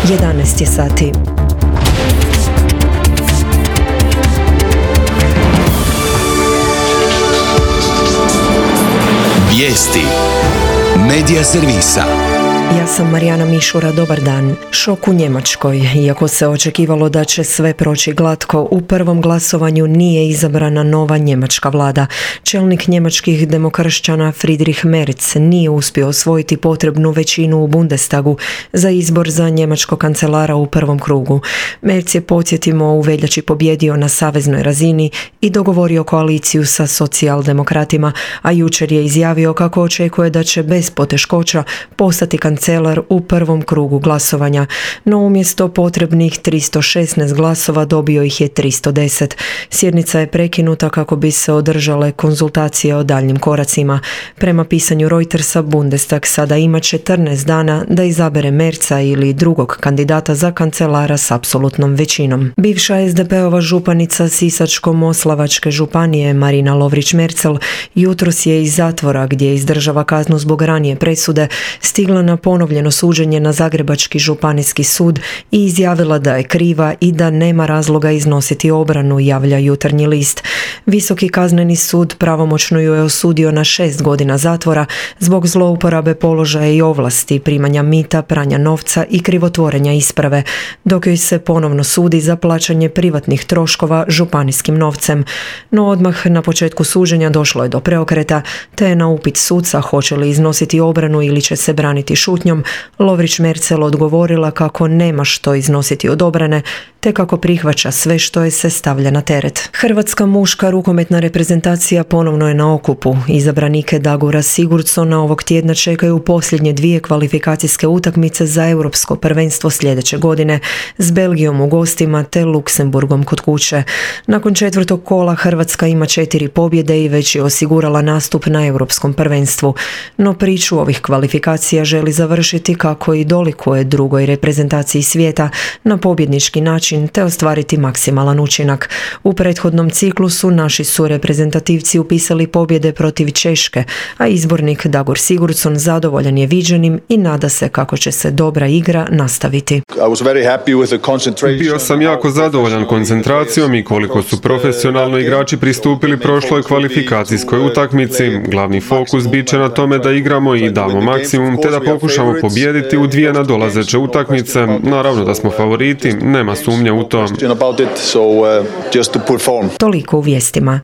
11 je sati. Vijesti Medija servisa. Ja sam Marijana Mišura, dobar dan. Šok u Njemačkoj. Iako se očekivalo da će sve proći glatko, u prvom glasovanju nije izabrana nova njemačka vlada. Čelnik njemačkih demokršćana Friedrich Merz nije uspio osvojiti potrebnu većinu u Bundestagu za izbor za njemačkog kancelara u prvom krugu. Merz je, podsjetimo, u veljači pobjedio na saveznoj razini i dogovorio koaliciju sa socijaldemokratima, a jučer je izjavio kako očekuje da će bez poteškoća postati kancelar u prvom krugu glasovanja, no umjesto potrebnih 316 glasova dobio ih je 310. Sjednica je prekinuta kako bi se održale konzultacije o daljnjim koracima. Prema pisanju Reutersa, Bundestag sada ima 14 dana da izabere Merza ili drugog kandidata za kancelara s apsolutnom većinom. Bivša SDP-ova županica Sisačko-moslavačke županije Marina Lovrić-Merzel jutros je iz zatvora, gdje izdržava kaznu zbog ranije presude, stigla na ponovljeno suđenje na Zagrebački županijski sud i izjavila da je kriva i da nema razloga iznositi obranu, javlja Jutarnji list. Visoki kazneni sud pravomoćno ju je osudio na 6 godina zatvora zbog zlouporabe položaja i ovlasti, primanja mita, pranja novca i krivotvorenja isprave, dok joj se ponovno sudi za plaćanje privatnih troškova županijskim novcem. No odmah na početku suđenja došlo je do preokreta, te je na upit suca hoće li iznositi obranu ili će se braniti šutnjom, Lovrić-Merzel odgovorila kako nema što iznositi od obrane, te kako prihvaća sve što je se stavlja na teret. Hrvatska muška rukometna reprezentacija ponovno je na okupu. Izabranike Dagora Sigurdsona ovog tjedna čekaju posljednje 2 kvalifikacijske utakmice za europsko prvenstvo sljedeće godine, s Belgijom u gostima te Luksemburgom kod kuće. Nakon 4. kola Hrvatska ima 4 pobjede i već je osigurala nastup na europskom prvenstvu. No priču ovih kvalifikacija želi završiti kako i dolikuje drugoj reprezentaciji svijeta, na pobjednički način te ostvariti maksimalan učinak. U prethodnom ciklusu naši su reprezentativci upisali pobjede protiv Češke, a izbornik Dagor Sigurdsson zadovoljan je viđenim i nada se kako će se dobra igra nastaviti. Bio sam jako zadovoljan koncentracijom i koliko su profesionalno igrači pristupili prošloj kvalifikacijskoj utakmici. Glavni fokus bit će na tome da igramo i damo maksimum te da pokušamo pobijediti u 2 nadolazeće utakmice. Naravno da smo favoriti, nema sumnje u to. Toliko u vijestima.